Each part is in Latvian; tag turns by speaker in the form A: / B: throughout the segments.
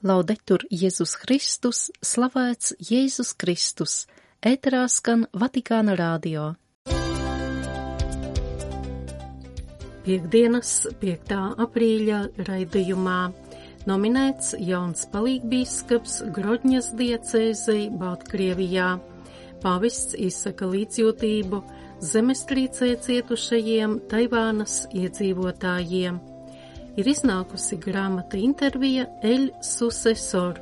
A: Laudetur Jēzus Kristus, slavēts Jēzus Kristus, ēterā skan Vatikāna radio. Piektdienas 5. aprīļa raidījumā nominēts jauns palīgbīskaps Grodņas diecēzei Baltkrievijā. Pāvests izsaka līdzjūtību zemestrīcē cietušajiem Taivānas iedzīvotājiem. Ir iznākusi grāmata intervija El Sucesor,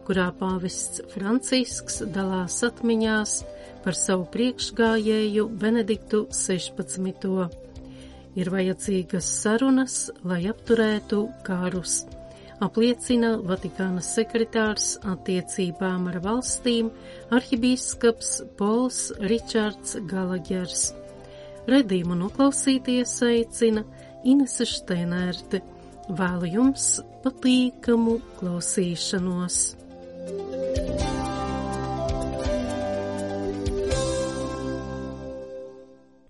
A: kurā pāvests Francisks dalās atmiņās par savu priekšgājēju Benediktu 16. Ir vajadzīgas sarunas, lai apturētu karus, apliecina Vatikāna sekretārs attiecībām ar valstīm arhibīskaps Pols Ričards Galagers. Redījumu noklausīties aicina Inese Šteinerte. Vēlu jums patīkamu klausīšanos.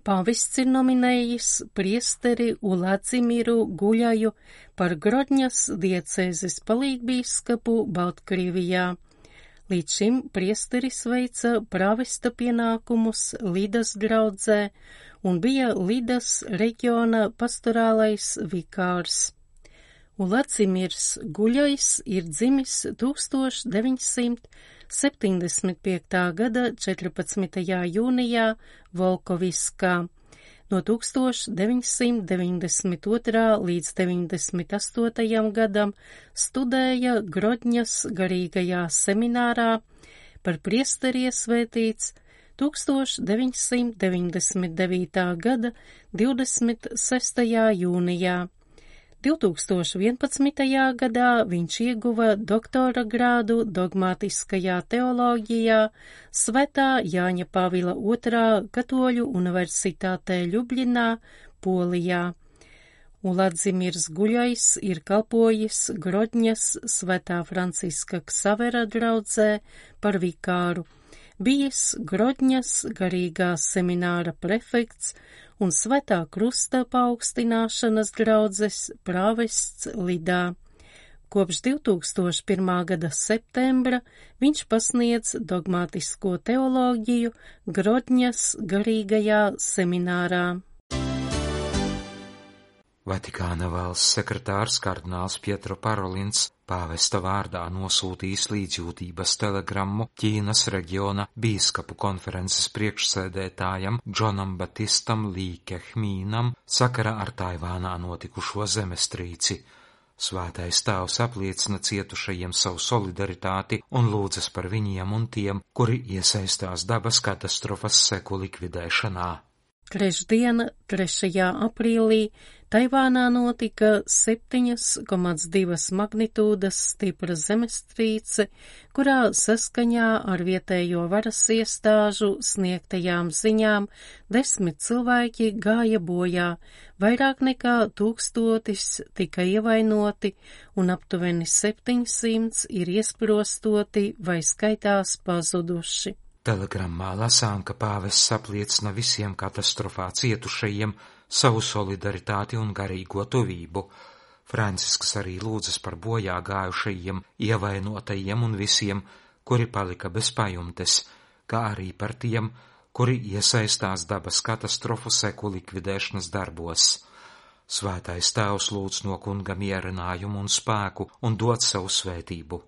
A: Pāvests ir nominējis priesteri Uladzimiru Guļaju par Grodņas diecēzes palīgbīskapu Baltkrievijā. Līdz šim priesteris veica prāvesta pienākumus Lidas draudzē un bija Lidas reģiona pastorālais vikārs. Uladzimirs Guļajs ir dzimis 1975. gada 14. jūnijā Volkoviskā. No 1992. līdz 98. gadam studēja Grodņas garīgajā seminārā, par priesteri iesvētīts 1999. gada 26. jūnijā. 2011. gadā viņš ieguva doktora grādu dogmatiskajā teoloģijā Svētā Jāņa Pāvila II Katoļu universitātē Ļubļinā, Polijā. Uladzimirs Guļajs ir kalpojis Grodņas Svētā Franciska Ksavera draudzē par vikāru, bijis Grodņas garīgā semināra prefekts un Svētā Krusta paaugstināšanas draudzes prāvests Lidā. Kopš 2001. gada septembra viņš pasniedz dogmatisko teoloģiju Grodņas garīgajā seminārā.
B: Vatikāna valsts sekretārs kardināls Pietro Parolins pāvesta vārdā nosūtījis līdzjūtības telegrammu Ķīnas reģiona bīskapu konferences priekšsēdētājam Džonam Batistam Lī Kehmīnam sakarā ar Taivānā notikušo zemestrīci. Svētais tēvs apliecina cietušajiem savu solidaritāti un lūdzas par viņiem un tiem, kuri iesaistās dabas katastrofas seku likvidēšanā.
A: Trešdiena, 3. aprīlī, Taivānā notika 7,2 magnitūdas stipra zemestrīce, kurā saskaņā ar vietējo varas iestāžu sniegtajām ziņām 10 cilvēki gāja bojā, vairāk nekā 1000 tika ievainoti un aptuveni 700 ir iesprostoti vai skaitās pazuduši.
B: Telegrammā lasām, ka pāvests apliecina visiem katastrofā cietušajiem savu solidaritāti un garīgo tuvību. Francisks arī lūdzas par bojā gājušajiem, ievainotajiem un visiem, kuri palika bez pajumtes, kā arī par tiem, kuri iesaistās dabas katastrofu seku likvidēšanas darbos. Svētais tēvs lūdz no kunga mierinājumu un spēku un dod savu svētību.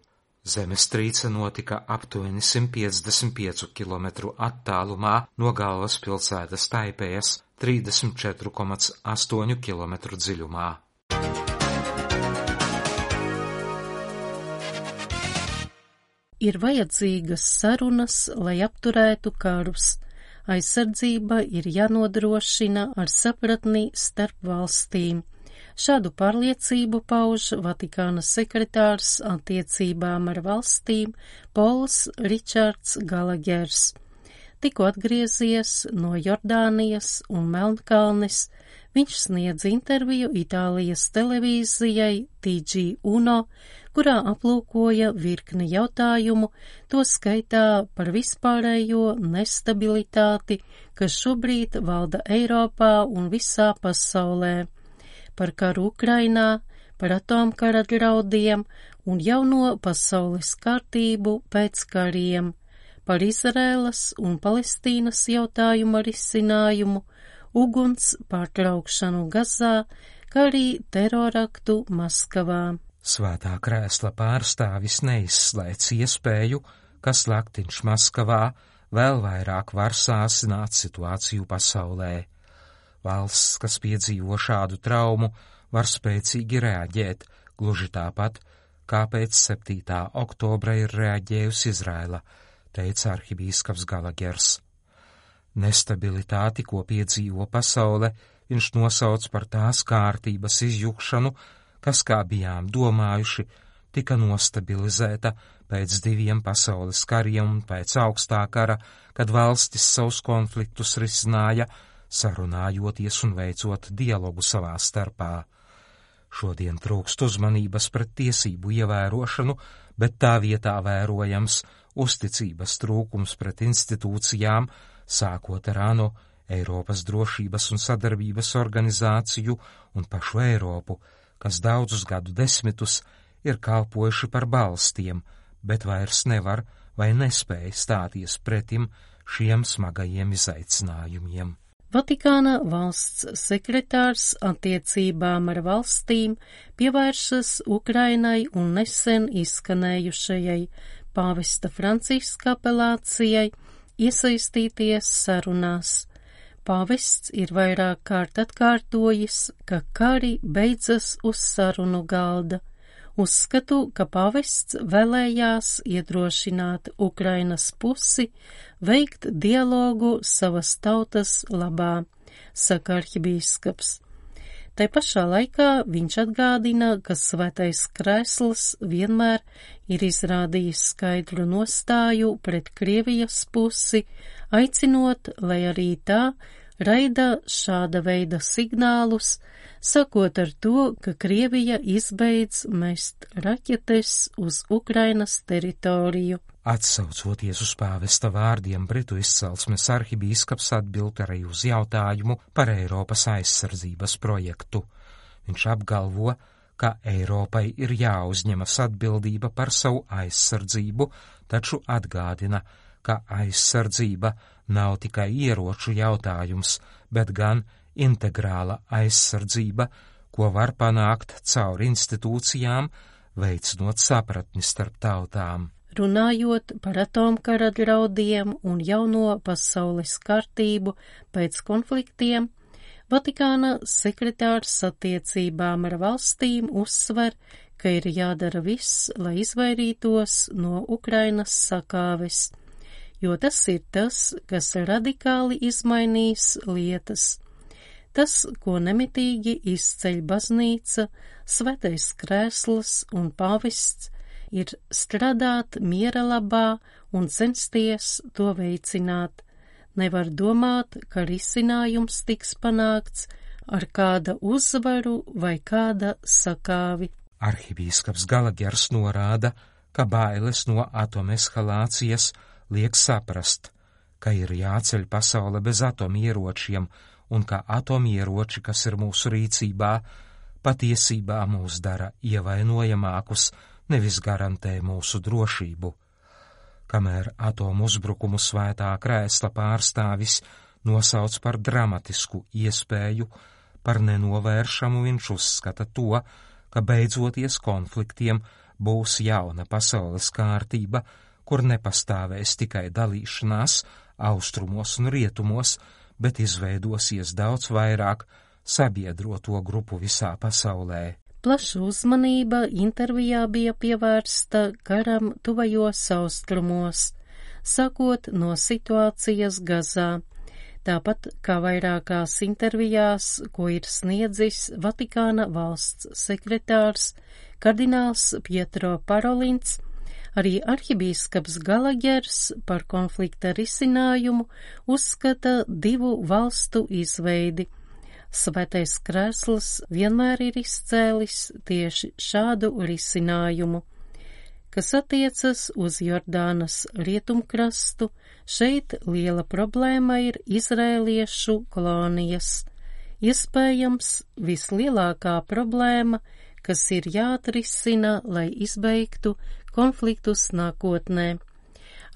B: Zemestrīce notika aptuveni 155 km attālumā no galvaspilsētas Taipējas 34,8 km dziļumā.
A: Ir vajadzīgas sarunas, lai apturētu karus. Aizsardzība ir jānodrošina ar sapratni starp valstīm. Šādu pārliecību pauž Vatikāna sekretārs attiecībām ar valstīm Pols Ričards Galagers. Tikko atgriezies no Jordānijas un Melnkalnes, viņš sniedz interviju Itālijas televīzijai TG1, kurā aplūkoja virkni jautājumu, to skaitā par vispārējo nestabilitāti, kas šobrīd valda Eiropā un visā pasaulē, par karu Ukrainā, par atomkara draudiem un jauno pasaules kārtību pēc kariem, par Izraēlas un Palestīnas jautājuma risinājumu, uguns pārtraukšanu Gazā, kā arī teroraktu Maskavā.
B: Svētā krēsla pārstāvis neizslēdz iespēju, ka slaktiņš Maskavā vēl vairāk var sāsināt situāciju pasaulē. Valsts, kas piedzīvo šādu traumu, var spēcīgi reaģēt, gluži tāpat, kā pēc 7. oktobra ir reaģējusi Izraela, teica arhibīskaps Galagers. Nestabilitāti, ko piedzīvo pasaule, viņš nosauc par tās kārtības izjukšanu, kas, kā bijām domājuši, tika nostabilizēta pēc 2 pasaules kariem un pēc augstā kara, kad valstis savus konfliktus risināja, sarunājoties un veicot dialogu savā starpā. Šodien trūkst uzmanības pret tiesību ievērošanu, bet tā vietā vērojams uzticības trūkums pret institūcijām, sākot ar ANO, Eiropas drošības un sadarbības organizāciju un pašu Eiropu, kas daudzus gadu desmitus ir kalpojuši par balstiem, bet vairs nevar vai nespēja stāties pretim šiem smagajiem izaicinājumiem.
A: Vatikāna valsts sekretārs attiecībām ar valstīm pievēršas Ukrainai un nesen izskanējušajai pāvesta Franciska apelācijai iesaistīties sarunās. Pāvests ir vairāk kārt atkārtojis, ka kari beidzas uz sarunu galda. Uzskatu, ka pāvests vēlējās iedrošināt Ukrainas pusi veikt dialogu savas tautas labā, saka arhibīskaps. Tai pašā laikā viņš atgādina, ka Svētais Krēsls vienmēr ir izrādījis skaidru nostāju pret Krievijas pusi, aicinot, lai arī tā raida šāda veida signālus, sakot ar to, ka Krievija izbeidz mest raķetes uz Ukrainas teritoriju.
B: Atsaucoties uz pāvesta vārdiem, britu izcelsmes arhibīskaps atbild arī uz jautājumu par Eiropas aizsardzības projektu. Viņš apgalvo, ka Eiropai ir jāuzņemas atbildība par savu aizsardzību, taču atgādina, ka aizsardzība nav tikai ieroču jautājums, bet gan integrāla aizsardzība, ko var panākt caur institūcijām, veicinot sapratni starp tautām.
A: Runājot par atomkara draudiem un jauno pasaules kārtību pēc konfliktiem, Vatikāna sekretārs attiecībām ar valstīm uzsver, ka ir jādara viss, lai izvairītos no Ukrainas sakāves, jo tas ir tas, kas radikāli izmainīs lietas. Tas, ko nemitīgi izceļ baznīca, Svētais Krēsls un pāvests, ir strādāt miera labā un censties to veicināt. Nevar domāt, ka risinājums tiks panākts ar kāda uzvaru vai kāda sakāvi.
B: Arhibīskaps Galagers norāda, ka bailes no atomeskalācijas liek saprast, ka ir jāceļ pasaule bez atomieročiem un ka atomieroči, kas ir mūsu rīcībā, patiesībā mūs dara ievainojamākus, nevis garantē mūsu drošību. Kamēr atomu uzbrukumu Svētā Krēsla pārstāvis nosauc par dramatisku iespēju, par nenovēršamu viņš uzskata to, ka beidzoties konfliktiem būs jauna pasaules kārtība, kur nepastāvēs tikai dalīšanās austrumos un rietumos, bet izveidosies daudz vairāk sabiedroto grupu visā pasaulē.
A: Plaša uzmanība intervijā bija pievērsta karam tuvajos austrumos, sakot no situācijas Gazā, tāpat kā vairākās intervijās, ko ir sniedzis Vatikāna valsts sekretārs kardināls Pietro Parolins, arī arhibīskaps Galagers par konflikta risinājumu uzskata 2 valstu izveidi. Svētais Krēsls vienmēr ir izcēlis tieši šādu risinājumu. Kas attiecas uz Jordānas rietumkrastu, šeit liela problēma ir izrēliešu kolonijas. Iespējams, vislielākā problēma, kas ir jāatrisina, lai izbeigtu konfliktus nākotnē.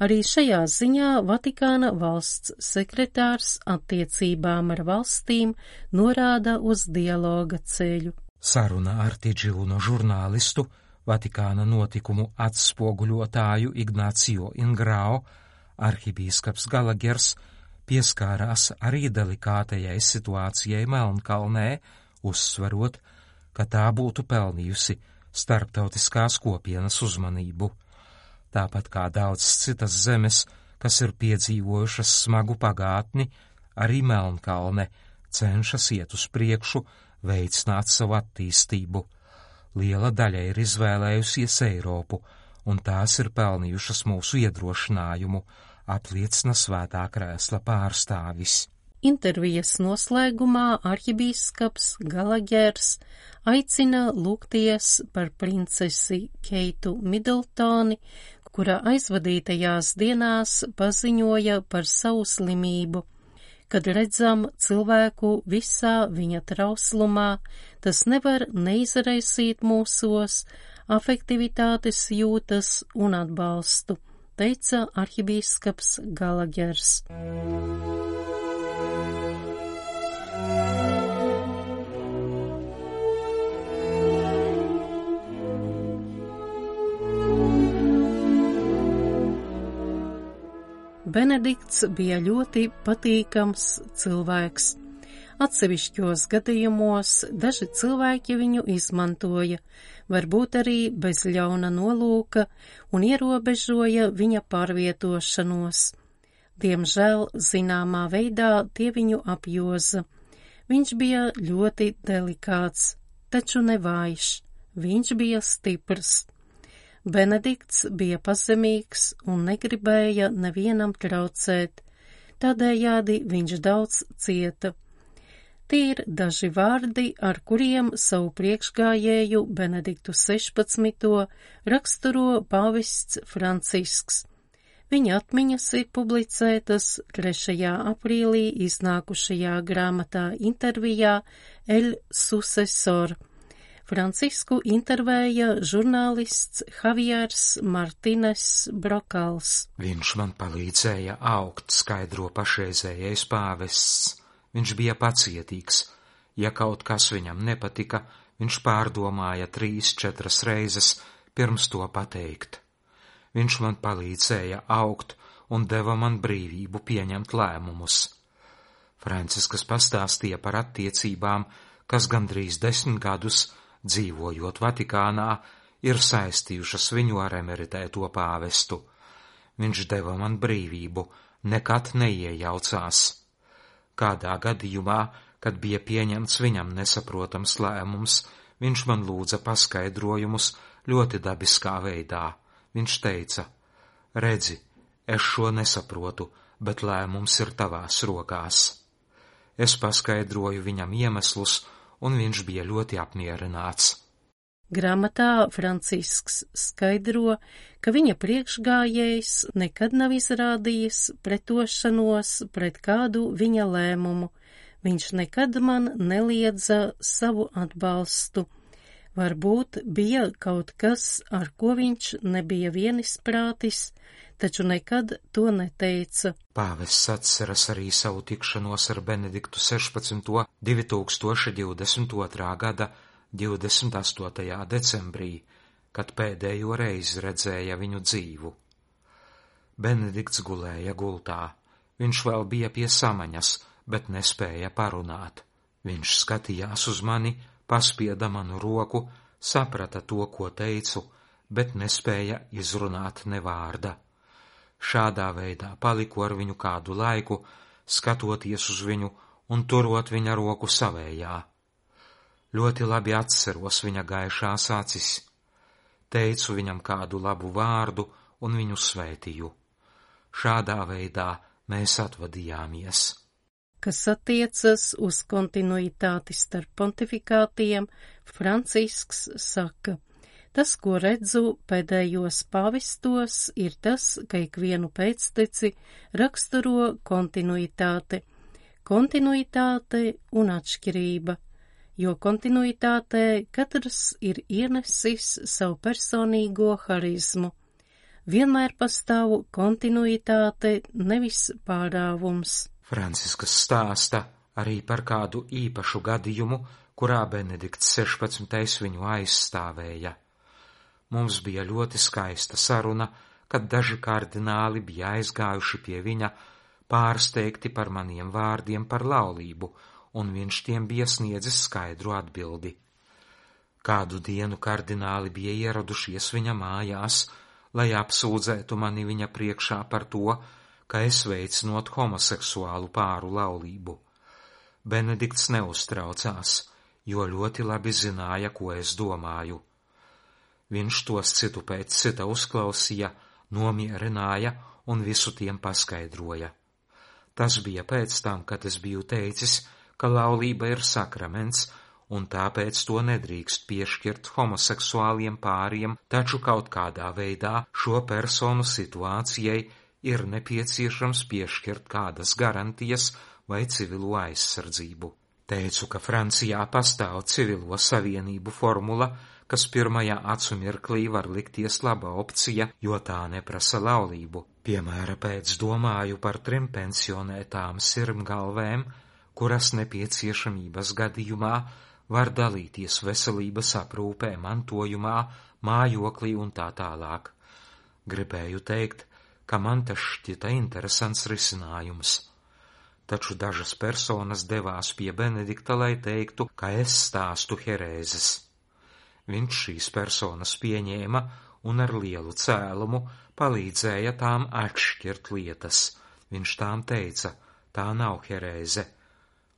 A: Arī šajā ziņā Vatikāna valsts sekretārs attiecībām ar valstīm norāda uz dialoga ceļu.
B: Saruna ar Tidžilūno žurnālistu, Vatikāna notikumu atspoguļotāju Ignācio Ingrao, arhibīskaps Galagers pieskārās arī delikātajai situācijai Melnkalnē, uzsverot, ka tā būtu pelnījusi starptautiskās kopienas uzmanību. Tāpat kā daudzas citas zemes, kas ir piedzīvojušas smagu pagātni, arī Melnkalne cenšas iet uz priekšu, veicināt savu attīstību. Liela daļa ir izvēlējusies Eiropu, un tās ir pelnījušas mūsu iedrošinājumu, apliecina Svētā krēsla pārstāvis.
A: Intervijas noslēgumā arhibīskaps Galagers aicina lūgties par princesi Keitu Midltoni, kura aizvadītajās dienās paziņoja par savu slimību. Kad redzam cilvēku visā viņa trauslumā, tas nevar neizraisīt mūsos afektivitātes jūtas un atbalstu, teica arhibīskaps Galagers. Benedikts bija ļoti patīkams cilvēks. Atsevišķos gadījumos daži cilvēki viņu izmantoja, varbūt arī bez ļauna nolūka, un ierobežoja viņa pārvietošanos. Diemžēl zināmā veidā tie viņu apjoza. Viņš bija ļoti delikāts, taču nevājš. Viņš bija stiprs. Benedikts bija pazemīgs un negribēja nevienam traucēt, tādējādi viņš daudz cieta. Tie ir daži vārdi, ar kuriem savu priekšgājēju Benediktu 16. raksturo pāvests Francisks. Viņa atmiņas ir publicētas 3. aprīlī iznākušajā grāmatā intervijā El Sucesor. Francisku intervēja žurnālists Javiers Martines Brokals.
B: Viņš man palīdzēja augt, skaidro pašreizējais pāvests. Viņš bija pacietīgs. Ja kaut kas viņam nepatika, viņš pārdomāja 3-4 reizes pirms to pateikt. Viņš man palīdzēja augt un deva man brīvību pieņemt lēmumus. Franciskas pastāstīja par attiecībām, kas gandrīz 10 gadus dzīvojot Vatikānā, ir saistījušas viņu ar emeritēto pāvestu. Viņš deva man brīvību, nekad neiejaucās. Kādā gadījumā, kad bija pieņemts viņam nesaprotams lēmums, viņš man lūdza paskaidrojumus ļoti dabiskā veidā. Viņš teica, redzi, es šo nesaprotu, bet lēmums ir tavās rokās. Es paskaidroju viņam iemeslus, un viņš bija ļoti apmierināts.
A: Grāmatā Francisks skaidro, ka viņa priekšgājējs nekad nav izrādījis pretošanos pret kādu viņa lēmumu. Viņš nekad man neliedza savu atbalstu. Varbūt bija kaut kas, ar ko viņš nebija vienisprātis, taču nekad to neteica.
B: Pāvests atceras arī savu tikšanos ar Benediktu 16. 2022. gada 28. decembrī, kad pēdējo reizi redzēja viņu dzīvu. Benedikts gulēja gultā. Viņš vēl bija pie samaņas, bet nespēja parunāt. Viņš skatījās uz mani, paspieda manu roku, saprata to, ko teicu, bet nespēja izrunāt ne vārda. Šādā veidā paliku ar viņu kādu laiku, skatoties uz viņu un turot viņa roku savējā. Ļoti labi atceros viņa gaišās acis. Teicu viņam kādu labu vārdu un viņu svētīju. Šādā veidā mēs atvadījāmies.
A: Kas attiecas uz kontinuitāti starp pontifikātiem, Francisks saka, tas, ko redzu pēdējos pāvestos, ir tas, ka ikvienu pēcteci raksturo kontinuitāte un atšķirība. jo kontinuitātē katrs ir ienesis savu personīgo harizmu. Vienmēr pastāv kontinuitāte, nevis pārāvums.
B: Franciskas stāsta arī par kādu īpašu gadījumu, kurā Benedikts 16. viņu aizstāvēja. Mums bija ļoti skaista saruna, kad daži kardināli bija aizgājuši pie viņa, pārsteigti par maniem vārdiem par laulību, un viņš tiem bija sniedzis skaidru atbildi. Kādu dienu kardināli bija ieradušies viņa mājās, lai apsūdzētu mani viņa priekšā par to, ka es veicinot homoseksuālu pāru laulību. Benedikts neuztraucās, jo ļoti labi zināja, ko es domāju. Viņš tos citu pēc cita uzklausīja, nomierināja un visu tiem paskaidroja. Tas bija pēc tam, kad es biju teicis, ka laulība ir sakraments, un tāpēc to nedrīkst piešķirt homoseksuāliem pāriem, taču kaut kādā veidā šo personu situācijai ir nepieciešams piešķirt kādas garantijas vai civilo aizsardzību. Teicu, ka Francijā pastāv civilo savienību formula, kas pirmajā acu mirklī var likties laba opcija, jo tā neprasa laulību. Piemēra pēc domāju par 3 pensionētām sirmgalvēm, kuras nepieciešamības gadījumā var dalīties veselības aprūpē, mantojumā, mājoklī un tā tālāk. Gribēju teikt, ka man tas šķita interesants risinājums. Taču dažas personas devās pie Benedikta, lai teiktu, ka es stāstu herēzes. Viņš šīs personas pieņēma un ar lielu cēlumu palīdzēja tām atšķirt lietas. Viņš tām teica, tā nav herēze.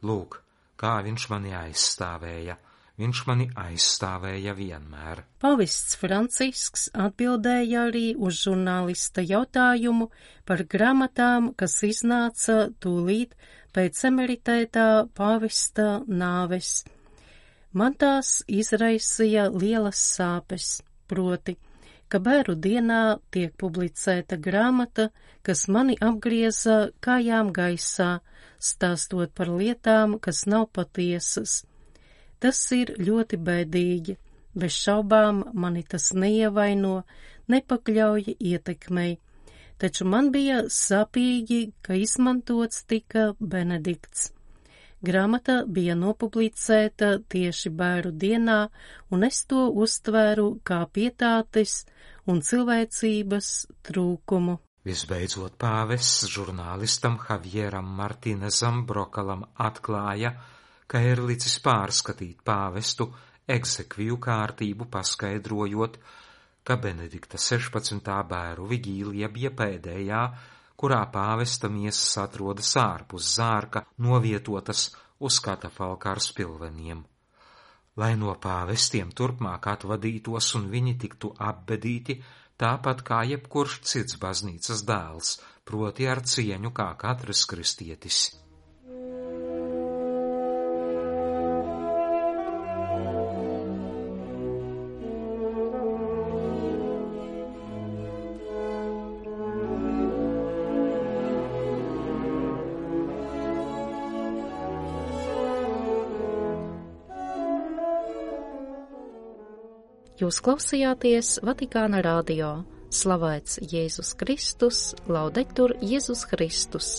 B: Lūk, kā viņš mani aizstāvēja. Viņš mani aizstāvēja vienmēr.
A: Pavests Francisks atbildēja arī uz žurnālista jautājumu par grāmatām, kas iznāca tūlīt pēc emeritētā pavesta nāves. Man tās izraisīja lielas sāpes, proti, ka bēru dienā tiek publicēta grāmata, kas mani apgrieza kājām gaisā, stāstot par lietām, kas nav patiesas. Tas ir ļoti bēdīgi, bez šaubām mani tas neievaino, nepakļauj ietekmei, taču man bija sāpīgi, ka izmantots tika Benedikts. Grāmata bija nopublicēta tieši bēru dienā, un es to uztvēru kā pietātes un cilvēcības trūkumu.
B: Visbeidzot pāvests žurnālistam Javieram Martīnezam Brokalam atklāja, ka ir licis pārskatīt pāvestu egzekviju kārtību, paskaidrojot, ka Benedikta 16. bēru vigīlija bija pēdējā, kurā pāvesta miesas atrodas ārpus zārka, novietotas uz katafalka ar spilveniem. Lai no pāvestiem turpmāk atvadītos un viņi tiktu apbedīti, tāpat kā jebkurš cits baznīcas dēls, proti ar cieņu kā katrs kristietis.
A: Jūs klausījāties Vatikāna radio. Slavēts Jēzus Kristus, laudetur Jēzus Kristus.